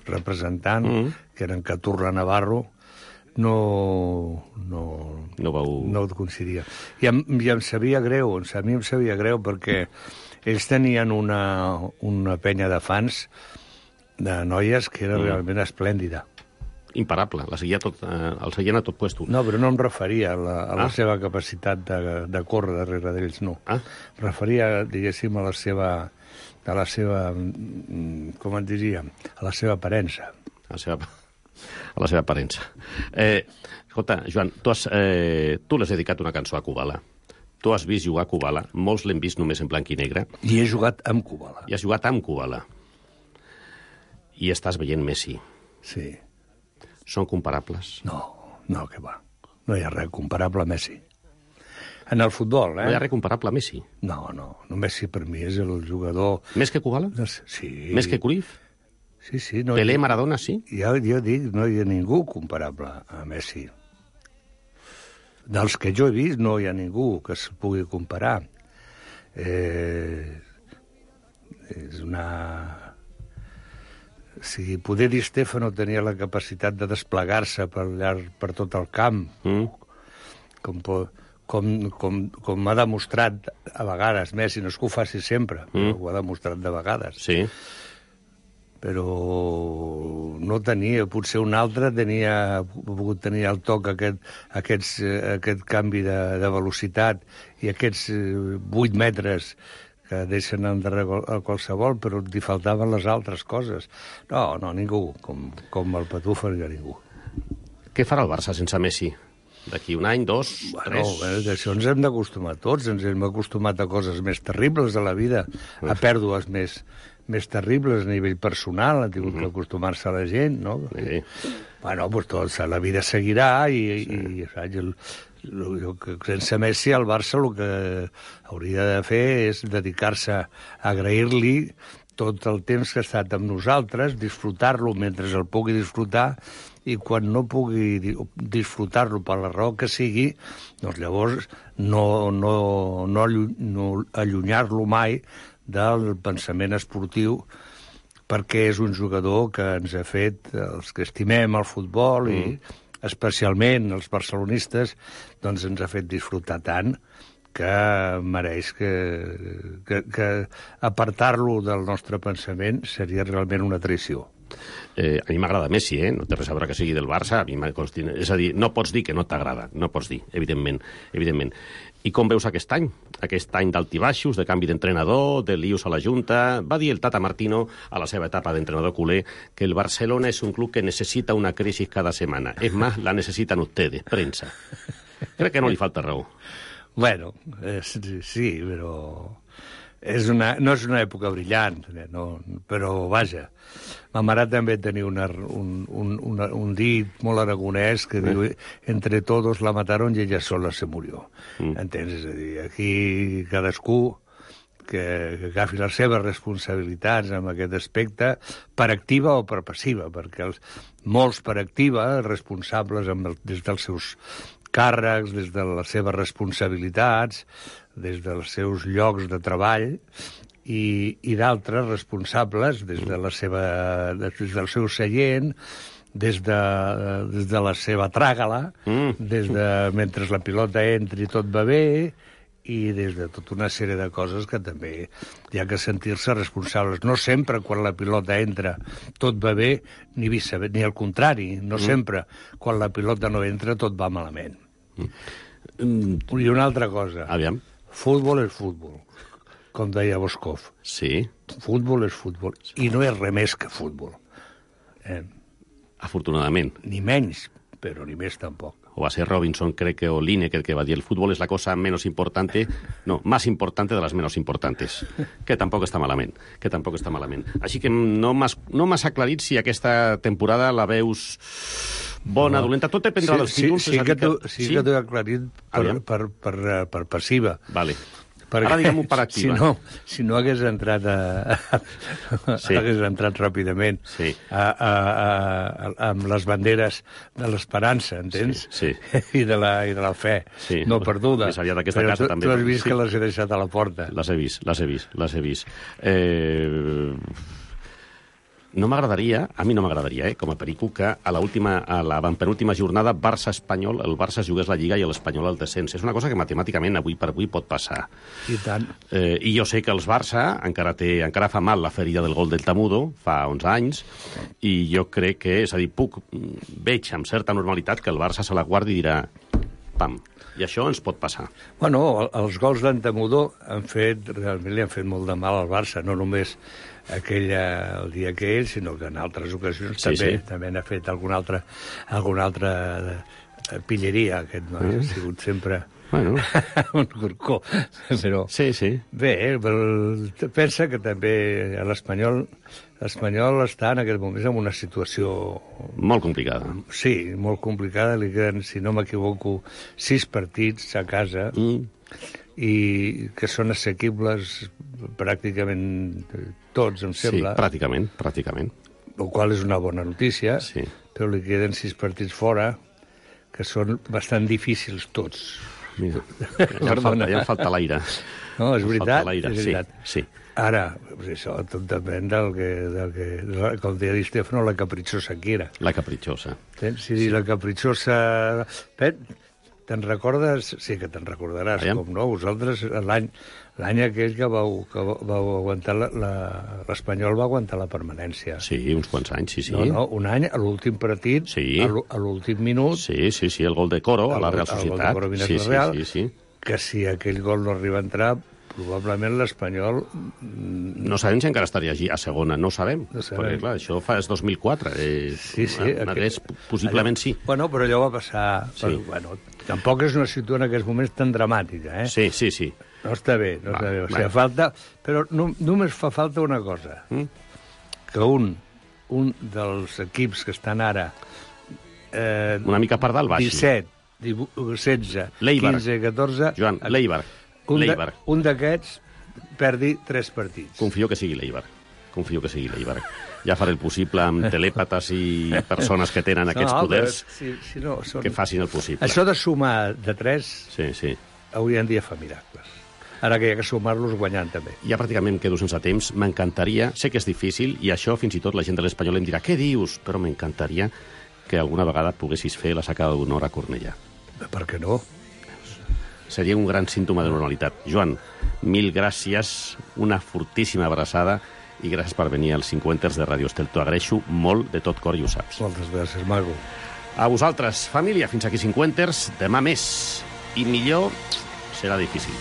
representant, que eren Caturra Navarro, no coincidia. I em sabia greu, a mi em sabia greu, perquè ells tenien una penya de fans de noies que era realment esplèndida. Imparable, el seguien a tot puesto. No, però no em referia a la seva capacitat de córrer darrere d'ells, no. Em referia, diguéssim, a la seva, com et diria, a la seva aparença. A la seva aparença. Escolta, Joan, tu l'has dedicat una cançó a Kubala. Tu has vist jugar a Kubala, molts l'hem vist només en blanc i negre. I he jugat amb Kubala. I has jugat amb Kubala. I estàs veient Messi. Sí. Són comparables? No, que va. No hi ha res comparable a Messi. En el futbol, No hi ha res comparable a Messi? No. Messi per mi és el jugador... Més que Kubala? Sí. Més que Cruyff? Sí. Pelé, Maradona, sí? Jo dic, no hi ha ningú comparable a Messi. Dels que jo he vist no hi ha ningú que es pugui comparar. És una... Si poder Di Stefano tenia la capacitat de desplegar-se per tot el camp, com ha demostrat a vegades Messi, no és que ho faci sempre, però ho ha demostrat de vegades. Sí. Però no tenia, potser un altre ha pogut tenir al toc aquest canvi de velocitat i aquests 8 metres que deixen endarrere a qualsevol, però li faltaven les altres coses. No, ningú. Com el Patufo, no hi ha ningú. Què farà el Barça sense Messi? D'aquí un any, 2, 3... D'això ens hem d'acostumar tots. Ens hem acostumat a coses més terribles de la vida, a pèrdues més terribles a nivell personal. Ha tingut que acostumar-se a la gent, no? Sí. Bueno, doncs la vida seguirà i sense Messi el Barça el que hauria de fer és dedicar-se a agrair-li tot el temps que ha estat amb nosaltres, disfrutar-lo mentre el pugui disfrutar, i quan no pugui disfrutar-lo per la raó que sigui, doncs llavors no allunyar-lo mai del pensament esportiu, perquè és un jugador que ens ha fet, els que estimem el futbol i especialment els barcelonistes, doncs ens ha fet disfrutar tant que mereix que apartar-lo del nostre pensament seria realment una traïció. A mi m'agrada Messi, no té res a veure que sigui del Barça, és a dir, no pots dir que no t'agrada, no pots dir, evidentment. I com veus aquest any d'altibaixos, de canvi d'entrenador, de lius a la Junta? Va dir el Tata Martino a la seva etapa d'entrenador culer que el Barcelona és un club que necessita una crisis cada semana. Es más, la necesitan ustedes, prensa. Crec que no li falta raó. Bueno, sí, però no és una època brillant, però vaja. Ma mare també tenia un dit molt aragonès que diu entre todos la mataron y ella sola se murió. Entens? És a dir, aquí cadascú que agafi les seves responsabilitats en aquest aspecte, per activa o per passiva, perquè molts per activa, responsables des dels seus càrrecs, des de les seves responsabilitats, des dels seus llocs de treball, i d'altres responsables des del seu seient, des de la seva tràgala, des de mentre la pilota entri tot va bé, i des de tota una sèrie de coses que també hi ha que sentir-se responsables. No sempre quan la pilota entra tot va bé, ni al contrari. No sempre quan la pilota no entra tot va malament. I una altra cosa. Aviam. Futbol és futbol, com deia Boscov. Sí. Futbol és futbol, i no és res més que futbol. Afortunadament. Ni menys, però ni més tampoc. O va ser Robinson, creo que, o Lineker, que va a decir el fútbol es la cosa menos importante, no, más importante de las menos importantes, que tampoc està malament, Així que no m'has aclarit si aquesta temporada la veus bona, dolenta, tot dependrà dels títols. Sí que t'ho he aclarit per passiva. Vale. Ara diguem-ho per activa. Si no hagués entrat hagués entrat ràpidament amb les banderes de l'esperança, entens? Sí. I de la fe no perduda. Però tu has vist que les he deixat a la porta. Les he vist. No m'agradaria, a mi no m'agradaria, com a perico, que a la penúltima jornada Barça-Espanyol, el Barça es jugués la Lliga i l'Espanyol el descens. És una cosa que matemàticament avui per avui pot passar. I tant. I jo sé que els Barça encara fa mal la ferida del gol del Tamudo, fa 11 anys, i jo crec que, és a dir, veig amb certa normalitat que el Barça se la guardi i dirà pam. I això ens pot passar. Bueno, els gols d'en Tamudo realment li han fet molt de mal al Barça, no només el dia que ell, sinó que en altres ocasions també n'ha fet alguna altra pilleria, aquest noi. Ha sigut sempre un corcó. Però, bé, pensa que també l'Espanyol està en aquest moment en una situació molt complicada. Sí, molt complicada. Li queden, si no m'equivoco, 6 partits a casa i que són assequibles pràcticament tots, em sembla. Sí, pràcticament. El qual és una bona notícia, però li queden 6 partits fora, que són bastant difícils tots. Mira, ja em falta l'aire. No, és veritat. Sí. Ara, això tot depèn del que com deia Di Stefano, la caprichosa que era. La caprichosa. Si la caprichosa... Te'n recordes? Sí que te'n recordaràs, com no? Vosaltres, l'any aquell que vau aguantar l'Espanyol va aguantar la permanència. Sí, uns quants anys, sí. No, un any, a l'últim partit, a l'últim minut... Sí, el gol de Coro a la Real Societat. El gol de Coro Real, que si aquell gol no arriba a entrar, probablement l'Espanyol... No sabem si encara estaria allí a segona, no sabem. Perquè, clar, això fa 2004. Possiblement sí. Bueno, però allò va passar... Tampoc és una situació en aquests moments tan dramàtica, eh? Sí. No està bé. O sigui, falta... Però només fa falta una cosa. Que un dels equips que estan ara... una mica per dalt, baixi. 17, 16, 15, 14... Joan, l'Eibar. Un d'aquests perdi 3 partits. Confio que sigui l'Eibar. Ja faré el possible amb telèpates i persones que tenen aquests poders que facin el possible. Això de sumar de 3 avui en dia fa miracles. Ara que hi ha que sumar-los guanyant també. Ja pràcticament em quedo sense temps. M'encantaria, sé que és difícil, i això fins i tot la gent de l'Espanyol em dirà què dius? Però m'encantaria que alguna vegada poguessis fer la sacada d'honor a Cornellà. Per què no? Seria un gran símptoma de normalitat. Joan, mil gràcies, una fortíssima abraçada i gràcies per venir als 50ers de Radio Estel. T'ho agraeixo molt de tot cor i ho saps. Moltes gràcies, maco. A vosaltres, família, fins aquí 50ers. Demà més. I millor serà difícil.